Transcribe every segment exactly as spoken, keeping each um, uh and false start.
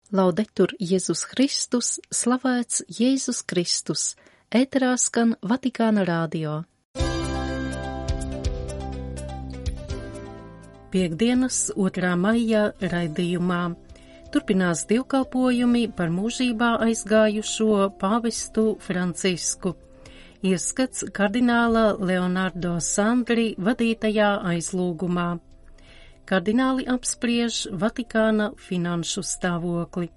Laudetur Jēzus Kristus, slavēts Jēzus Kristus, ēterā skan Vatikāna radio. Piektdienas otrā maija raidījumā turpinās dievkalpojumi par mūžībā aizgājušo pāvestu Francisku. Ieskats kardināla Leonardo Sandri vadītajā aizlūgumā. Kardināli apspriež Vatikāna finanšu stāvokli.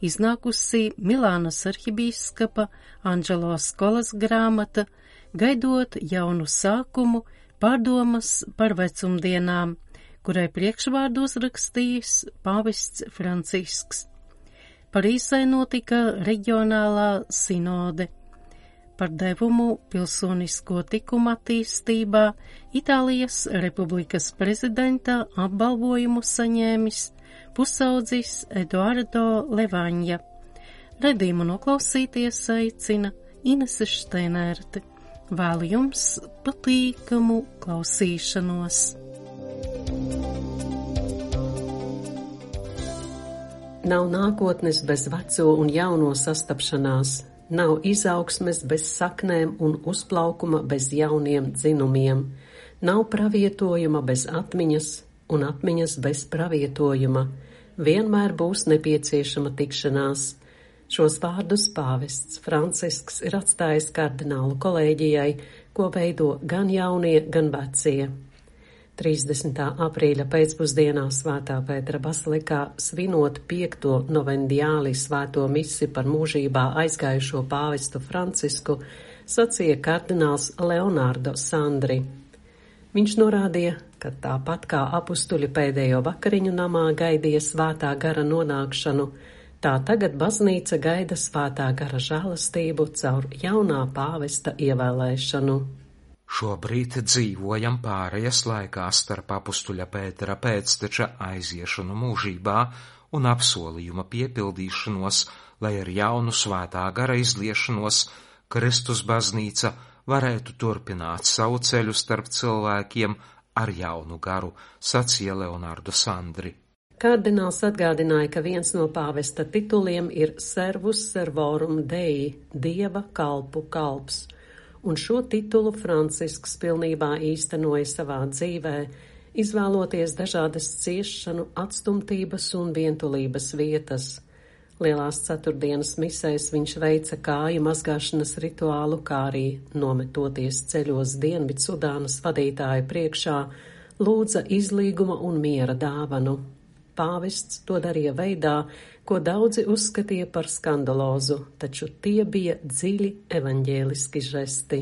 Iznākusi Milānas arhibīskapa Anģelo Skolas grāmata Gaidot jaunu sākumu, pārdomas par vecumdienām, kurai priekšvārdu uzrakstījis pāvests Francisks. Parīzē notika reģionālā sinode. Par devumu pilsonisko tikumu attīstībā Itālijas Republikas prezidenta apbalvojumu saņēmis pusaudzis Eduardo Levaņa. Redījumu noklausīties aicina Inese Šteinerte. Vēlu jums patīkamu klausīšanos. Nav nākotnes bez veco un jauno sastapšanās. Nav izaugsmes bez saknēm un uzplaukuma bez jauniem dzinumiem. Nav pravietojuma bez atmiņas un atmiņas bez pravietojuma. Vienmēr būs nepieciešama tikšanās. Šos vārdus pāvests Francisks ir atstājis kardinālu kolēģijai, ko veido gan jaunie, gan vecie. trīsdesmitā aprīļa pēcpusdienā Svētā Pētera bazilikā svinot piekto novendiāli svēto misi par mūžībā aizgājušo pāvestu Francisku, sacīja kardināls Leonardo Sandri. Viņš norādīja, ka tāpat kā apustuļi pēdējo vakariņu namā gaidīja svētā gara nonākšanu, tā tagad baznīca gaida svētā gara žēlastību caur jaunā pāvesta ievēlēšanu. Šobrīd dzīvojam pārejas laikā starp apustuļa Pētera pēcteča aiziešanu mūžībā un apsolījuma piepildīšanos, lai ar jaunu svētā gara izliešanos Kristus baznīca varētu turpināt savu ceļu starp cilvēkiem ar jaunu garu, sacīja Leonardo Sandri. Kardināls atgādināja, ka viens no pāvesta tituliem ir Servus Servorum Dei, Dieva kalpu kalps. Un šo titulu Francisks pilnībā īstenoja savā dzīvē, izvēloties dažādas ciešanu, atstumtības un vientulības vietas. Lielās ceturtdienas misēs viņš veica kāju mazgāšanas rituālu, kā arī nometoties ceļos Dienvidsudānas vadītāju priekšā, lūdza izlīguma un miera dāvanu. Pāvests to darīja veidā, ko daudzi uzskatīja par skandalozu, taču tie bija dziļi evaņģēliski žesti.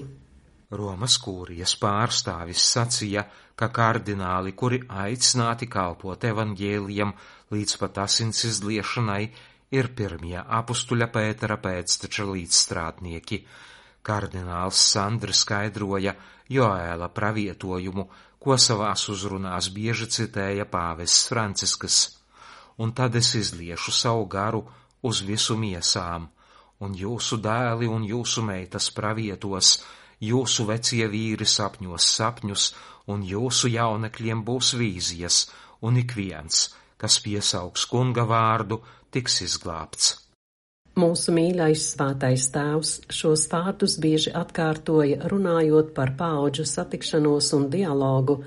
Romas kūrijas pārstāvis sacīja, ka kardināli, kuri aicināti kalpot evaņģēlijam līdz pat asins izliešanai, ir pirmie apustuļa Pētera pēcteča līdzstrādnieki. Kardināls Sandri skaidroja Joēla pravietojumu, ko savās uzrunās bieži citēja pāvests Francisks. Un tad es izliešu savu garu uz visu miesām, un jūsu dēli un jūsu meitas pravietos, jūsu vecie vīri sapņos sapņus, un jūsu jaunekļiem būs vīzijas, un ik viens, kas piesaugs kunga vārdu, tiks izglābts. Mūsu mīļais svētais tēvs šos vārdus bieži atkārtoja, runājot par paudžu satikšanos un dialogu,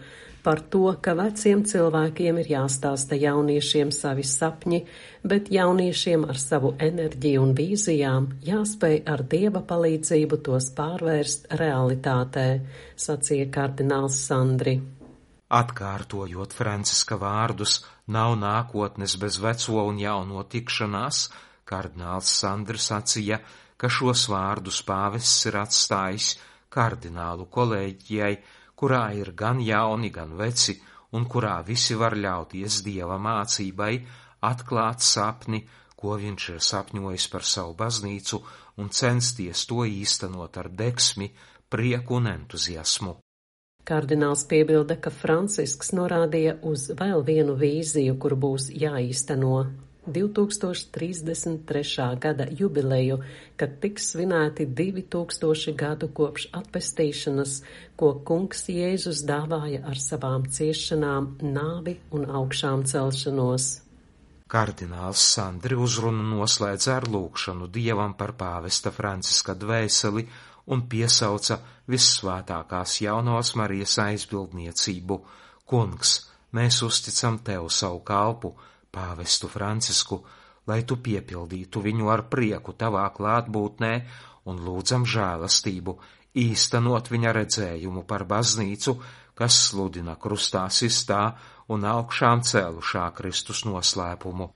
par to, ka veciem cilvēkiem ir jāstāsta jauniešiem savi sapņi, bet jauniešiem ar savu enerģiju un vīzijām jāspēj ar Dieva palīdzību tos pārvērst realitātē, sacīja kardināls Sandri. Atkārtojot Franciska vārdus, nav nākotnes bez veco un jauno tikšanās, kardināls Sandri sacīja, ka šos vārdus pāvests ir atstājis kardinālu kolēģijai, kurā ir gan jauni, gan veci, un kurā visi var ļauties Dieva mācībai, atklāt sapni, ko viņš ir sapņojis par savu baznīcu, un censties to īstenot ar degsmi, prieku un entuziasmu. Kardināls piebilda, ka Francisks norādīja uz vēl vienu vīziju, kur būs jāīsteno. divtūkstoš trīsdesmit trešā gada jubileju, kad tiks svinēti divi tūkstoši gadu kopš atpestīšanas, ko kungs Jēzus dāvāja ar savām ciešanām, nāvi un augšām celšanos. Kardināls Sandri uzrunu noslēdza ar lūgšanu Dievam par pāvesta Franciska dvēseli un piesauca vissvētākās jaunās Marijas aizbildniecību. Kungs, mēs uzticam tev savu kalpu, pāvestu Francisku, lai tu piepildītu viņu ar prieku tavā klātbūtnē un lūdzam žēlastību, īstenot viņa redzējumu par baznīcu, kas sludina krustā sistā un augšām cēlušā Kristus noslēpumu.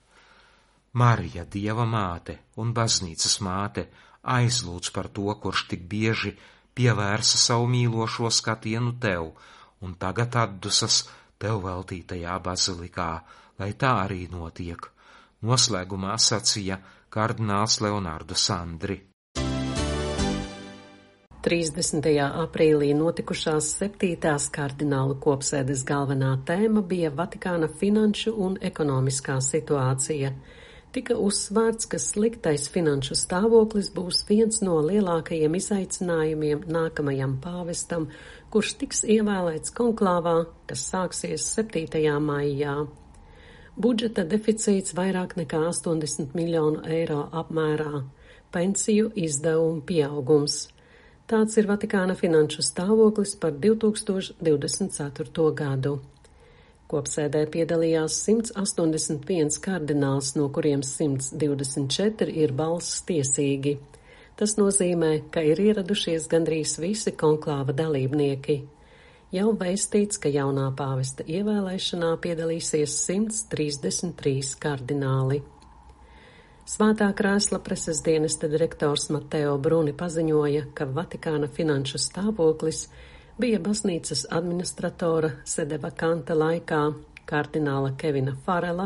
Marija, Dieva māte un baznīcas māte, aizlūdz par to, kurš tik bieži pievērsa savu mīlošo skatienu tev un tagad atdusas tev veltītajā bazilikā, lai tā arī notiek. Noslēgumā sacīja kardināls Leonardo Sandri. trīsdesmitajā aprīlī notikušās septītās kardinālu kopsēdes galvenā tēma bija Vatikāna finanšu un ekonomiskā situācija. Tika uzsvērts, ka sliktais finanšu stāvoklis būs viens no lielākajiem izaicinājumiem nākamajam pāvestam, kurš tiks ievēlēts konklāvā, kas sāksies septītajā maijā. Budžeta deficīts vairāk nekā astoņdesmit miljonu eiro apmērā, pensiju izdevumu pieaugums. Tāds ir Vatikāna finanšu stāvoklis par divi tūkstoši divdesmit ceturto gadu. Kopsēdē piedalījās simts astoņdesmit viens kardināls, no kuriem simts divdesmit četri ir balss tiesīgi. Tas nozīmē, ka ir ieradušies gandrīz visi konklāva dalībnieki. Jau vēstīts, ka jaunā pāvesta ievēlēšanā piedalīsies simts trīsdesmit trīs kardināli. Svētā krēsla preses dienesta direktors Mateo Bruni paziņoja, ka Vatikāna finanšu stāvoklis bija baznīcas administratora sede vakanta laikā kardināla Kevina Farela,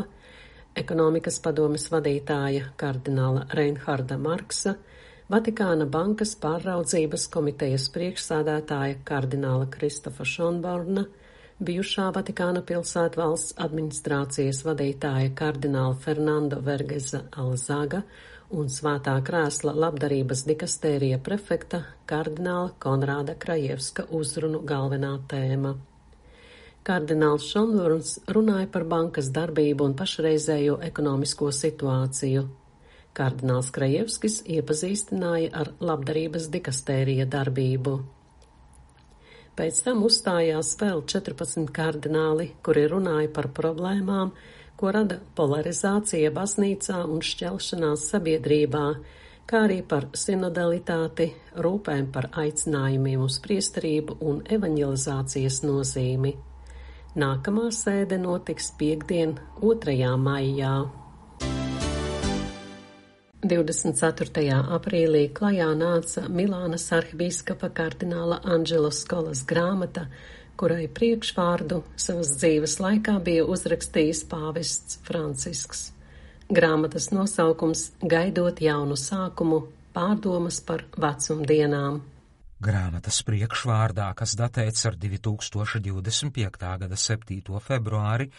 ekonomikas padomes vadītāja kardināla Reinharda Marksa, Vatikāna bankas pārraudzības komitejas priekšsādātāja kardināla Kristofa Šonborna, bijušā Vatikāna pilsētvalsts administrācijas vadītāja kardināla Fernando Vergeza Alzaga un Svētā krēsla labdarības dikastērija prefekta kardināla Konrāda Krajevska uzrunu galvenā tēma. Kardināls Šonborns runāja par bankas darbību un pašreizējo ekonomisko situāciju. Kardināls Krajevskis iepazīstināja ar labdarības dikastērija darbību. Pēc tam uzstājās vēl četrpadsmit kardināli, kuri runāja par problēmām, ko rada polarizācija baznīcā un šķelšanās sabiedrībā, kā arī par sinodalitāti, rūpēm par aicinājumiem uz priesterību un evaņģelizācijas nozīmi. Nākamā sēde notiks piektdien, otrajā maijā. divdesmit ceturtajā aprīlī klajā nāca Milānas arhibīskapa kardināla Anģelo Skolas grāmata, kurai priekšvārdu savas dzīves laikā bija uzrakstījis pāvests Francisks. Grāmatas nosaukums Gaidot jaunu sākumu, pārdomas par vecumdienām. Grāmatas priekšvārdā, kas datēts ar divi tūkstoši divdesmit piektā gada septīto februāri,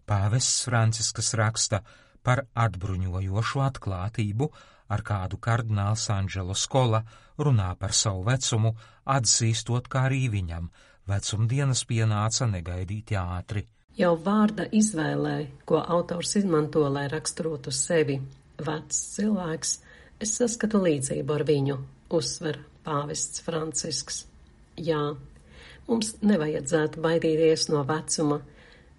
pāvests Francisks raksta par atbruņojošu atklātību, ar kādu kardināls Anģelo Skola runā par savu vecumu, atzīstot, kā arī viņam vecumdienas pienāca negaidīti ātri. Jau vārda izvēlē, ko autors izmanto, lai raksturotu sevi, vecs cilvēks, es saskatu līdzību ar viņu, uzsver pāvests Francisks. Jā, mums nevajadzētu baidīties no vecuma,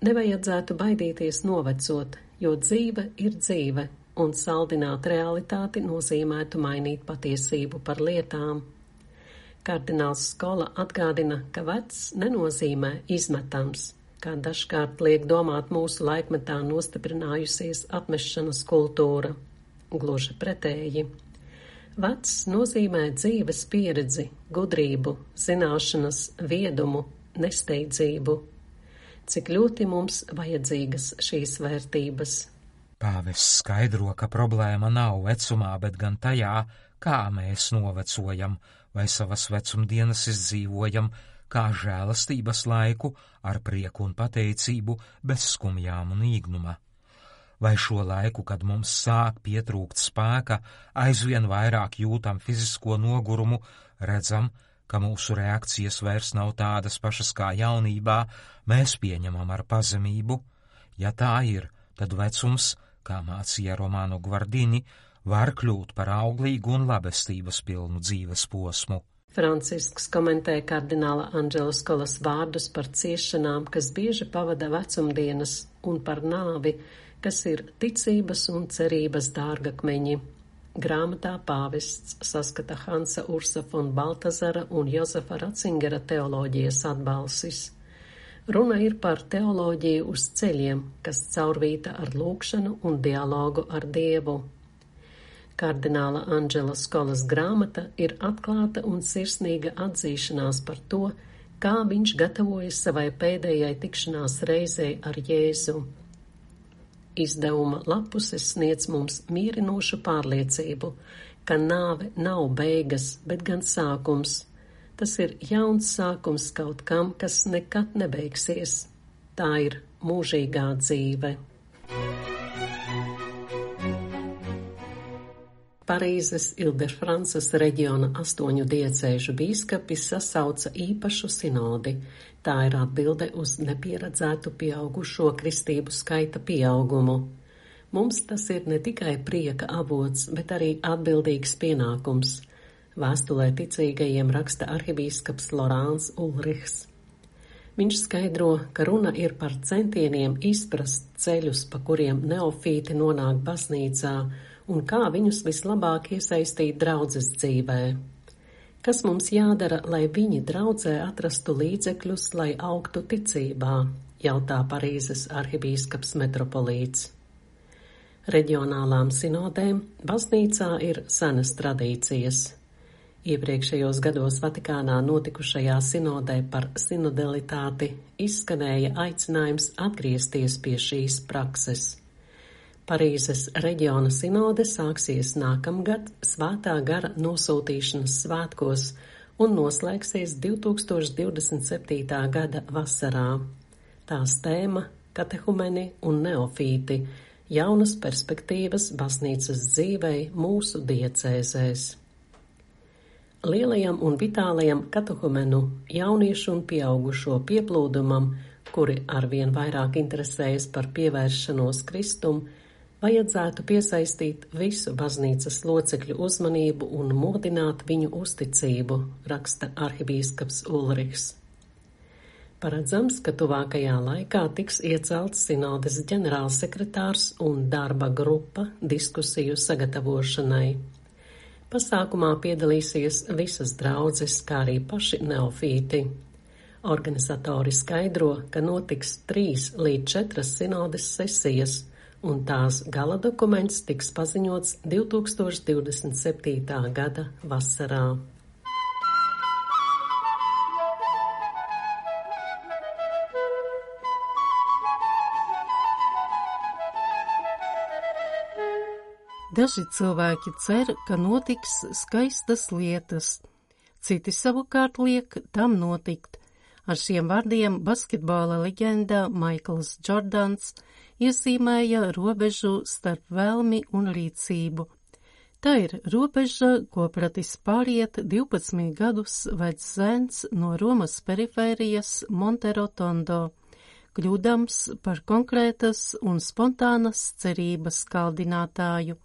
nevajadzētu baidīties novecot, jo dzīve ir dzīve, un saldināt realitāti nozīmētu mainīt patiesību par lietām. Kardināls Skola atgādina, ka vecs nenozīmē izmetams, kā dažkārt liek domāt mūsu laikmetā nostiprinājusies atmešanas kultūra. Gluži pretēji. Vecs nozīmē dzīves pieredzi, gudrību, zināšanas, viedumu, nesteidzību. Cik ļoti mums vajadzīgas šīs vērtības. Pāvests skaidro, ka problēma nav vecumā, bet gan tajā, kā mēs novecojam vai savas vecumdienas izdzīvojam, kā žēlastības laiku ar prieku un pateicību, bez skumjām un īgnuma. Vai šo laiku, kad mums sāk pietrūkt spēka, aizvien vairāk jūtam fizisko nogurumu, redzam, ka mūsu reakcijas vairs nav tādas pašas kā jaunībā, mēs pieņemam ar pazemību. Ja tā ir, tad vecums, kā mācīja Romano Guardini, var kļūt par auglīgu un labestības pilnu dzīves posmu. Francisks komentē kardināla Andžela Skolas vārdus par ciešanām, kas bieži pavada vecumdienas, un par nāvi, kas ir ticības un cerības dārgakmeņi. Grāmatā pāvests saskata Hansa Ursa von Baltazara un Jozefa Ratzingera teoloģijas atbalsis. Runa ir par teoloģiju uz ceļiem, kas caurvīta ar lūgšanu un dialogu ar Dievu. Kardināla Andžela Skolas grāmata ir atklāta un sirsnīga atzīšanās par to, kā viņš gatavojas savai pēdējai tikšanās reizei ar Jēzu. Izdevuma lapuses sniedz mums mierinošu pārliecību, ka nāve nav beigas, bet gan sākums. Tas ir jauns sākums kaut kam, kas nekad nebeigsies. Tā ir mūžīgā dzīve. Parīzes Ile-de-Frances reģiona astoņu diecēžu bīskapi sasauca īpašu sinodi. Tā ir atbilde uz nepieredzētu pieaugušo kristību skaita pieaugumu. Mums tas ir ne tikai prieka avots, bet arī atbildīgs pienākums. Vēstulē ticīgajiem raksta arhibīskaps Lorāns Ulrichs. Viņš skaidro, ka runa ir par centieniem izprast ceļus, pa kuriem neofīti nonāk baznīcā, un kā viņus vislabāk iesaistīt draudzes dzīvē. Kas mums jādara, lai viņi draudzē atrastu līdzekļus, lai augtu ticībā, jautā Parīzes arhibīskaps metropolīts. Reģionālām sinodēm baznīcā ir senas tradīcijas. Iepriekšējos gados Vatikānā notikušajā sinodē par sinodalitāti izskanēja aicinājums atgriezties pie šīs prakses. Parīzes reģiona sinode sāksies nākamgad Svētā gara nosūtīšanas svētkos un noslēgsies divtūkstoš divdesmit septītā gada vasarā. Tās tēma – katehumeni un neofīti – jaunas perspektīvas baznīcas dzīvei mūsu diecēzēs. Lielajam un vitālajam katehumenu jauniešu un pieaugušo pieplūdumam, kuri arvien vairāk interesējas par pievēršanos Kristum, vajadzētu piesaistīt visu baznīcas locekļu uzmanību un modināt viņu uzticību, raksta arhibīskaps Ulrichs. Paredzams, ka tuvākajā laikā tiks iecelts sinodes ģenerālsekretārs un darba grupa diskusiju sagatavošanai. Pasākumā piedalīsies visas draudzes, kā arī paši neofīti. Organizatori skaidro, ka notiks trīs līdz četras sinodes sesijas, un tās gala dokuments tiks paziņots divtūkstoš divdesmit septītā gada vasarā. Daži cilvēki cer, ka notiks skaistas lietas, citi savukārt liek tam notikt. Ar šiem vārdiem basketbola leģenda Maikls Džordans iezīmēja robežu starp vēlmi un rīcību. Tā ir robeža, ko pratis pāriet divpadsmit gadus vecs zēns no Romas perifērijas Monterotondo, kļūdams par konkrētas un spontānas cerības kaldinātāju.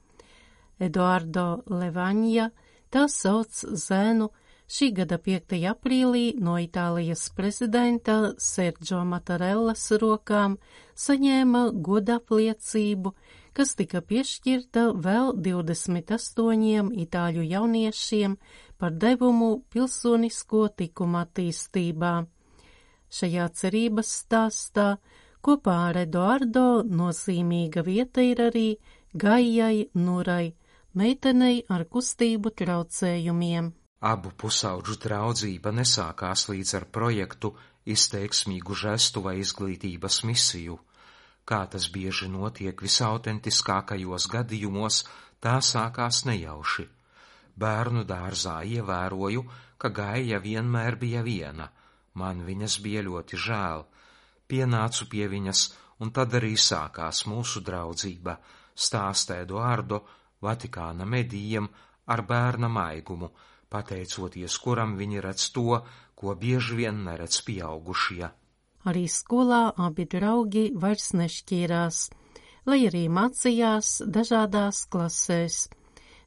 Eduardo Levaņa, tā sauc zēnu, šī gada piektajā aprīlī no Itālijas prezidenta Sergio Mattarellas rokām saņēma godapliecību, kas tika piešķirta vēl divdesmit astoņiem itāļu jauniešiem par devumu pilsonisko tikumu attīstībā. Šajā cerības stāstā kopā ar Eduardo nozīmīga vieta ir arī Gaijai Nurai, meitenei ar kustību traucējumiem. Abu pusauģu draudzība nesākās līdz ar projektu izteiksmīgu žestu vai izglītības misiju. Kā tas bieži notiek visautentiskākajos gadījumos, tā sākās nejauši. Bērnu dārzā ievēroju, ka Gaija vienmēr bija viena. Man viņas bija ļoti žēl. Pienācu pie viņas, un tad arī sākās mūsu draudzība, stāsta Eduardo Vatikāna medijiem ar bērna maigumu, pateicoties kuram viņi redz to, ko bieži vien neredz pieaugušie. Arī skolā abi draugi vairs nešķīrās. lai arī mācījās dažādās klasēs.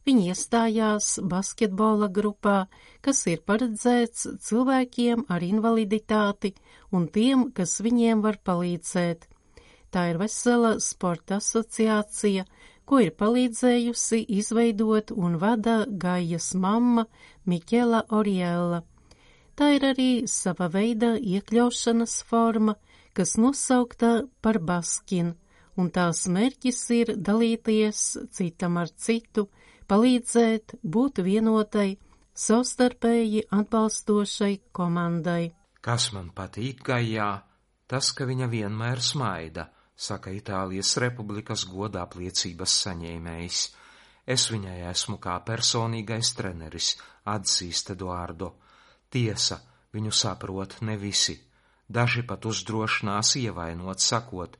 Viņi iestājās basketbola grupā, kas ir paredzēts cilvēkiem ar invaliditāti un tiem, kas viņiem var palīdzēt. Tā ir vesela sporta asociācija, ko ir palīdzējusi izveidot un vada Gaijas mamma Miķela Oriella. Tā ir arī sava veida iekļaušanas forma, kas nosaukta par Baskin, un tās mērķis ir dalīties citam ar citu, palīdzēt, būt vienotai, savstarpēji atbalstošai komandai. Kas man patīk Gaijā, tas, ka viņa vienmēr smaida, saka Itālijas Republikas goda apliecības saņēmējs. Es viņai esmu kā personīgais treneris, atzīst Eduardo. Tiesa, viņu saprot ne visi. Daži pat uzdrošinās ievainot, sakot,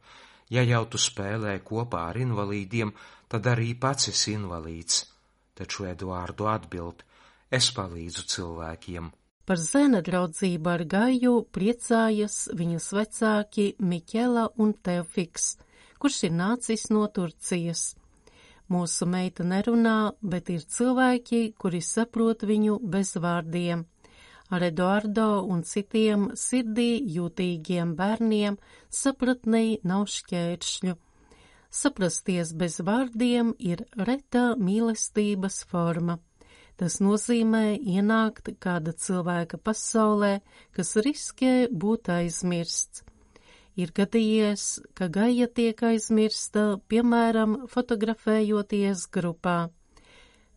ja jau tu spēlē kopā ar invalīdiem, tad arī pats esi invalīds. Taču Eduardo atbild, es palīdzu cilvēkiem. Par zēna draudzību ar Gaiju priecājas viņas vecāki Miķela un Teofiks, kurš ir nācis no Turcijas. Mūsu meita nerunā, bet ir cilvēki, kuri saprot viņu bez vārdiem. Ar Eduardo un citiem sirdī jūtīgiem bērniem sapratnei nav šķēršļu. Saprasties bez vārdiem ir reta mīlestības forma. Tas nozīmē ienākt kāda cilvēka pasaulē, kas riskē būt aizmirsts. Ir gadījies, ka Gaija tiek aizmirsta, piemēram, fotografējoties grupā.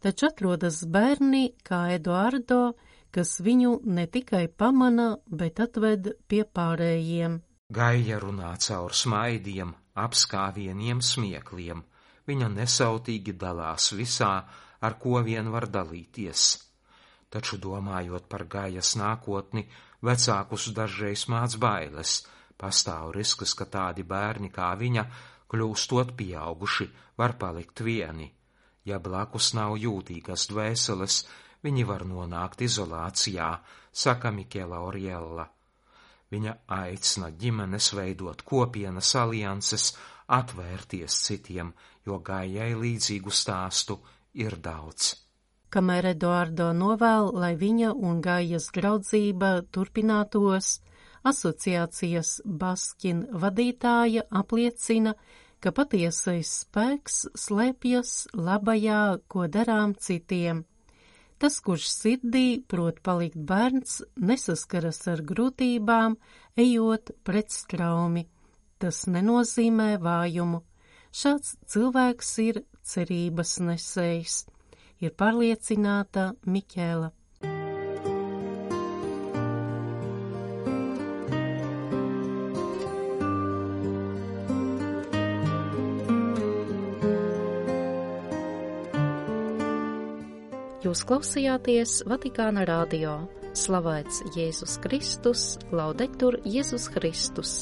Taču atrodas bērni kā Eduardo, kas viņu ne tikai pamana, bet atved pie pārējiem. Gaija runā caur smaidiem, apskāvieniem, smiekliem. Viņa nesautīgi dalās visā, ar ko vien var dalīties. Taču domājot par Gaijas nākotni, vecākus dažreiz māc bailes. Pastāv risks, ka tādi bērni kā viņa, kļūstot pieauguši, var palikt vieni. Ja blakus nav jūtīgas dvēseles, viņi var nonākt izolācijā, saka Miķela Oriella. Viņa aicina ģimenes veidot kopienas alianses, atvērties citiem, jo Gaijai līdzīgu stāstu ir daudz. Kamēr Eduardo novēl, lai viņa un Gaijas draudzība turpinātos, asociācijas Baskin vadītāja apliecina, ka patiesais spēks slēpjas labajā, ko darām citiem. Tas, kurš sirdī prot palikt bērns, nesaskaras ar grūtībām, ejot pret straumi. Tas nenozīmē vājumu. Šāds cilvēks ir cerības nesējs, ir pārliecināta Miķela. Jūs klausījāties Vatikāna radio. Slavēts Jēzus Kristus, laudetur Jēzus Kristus.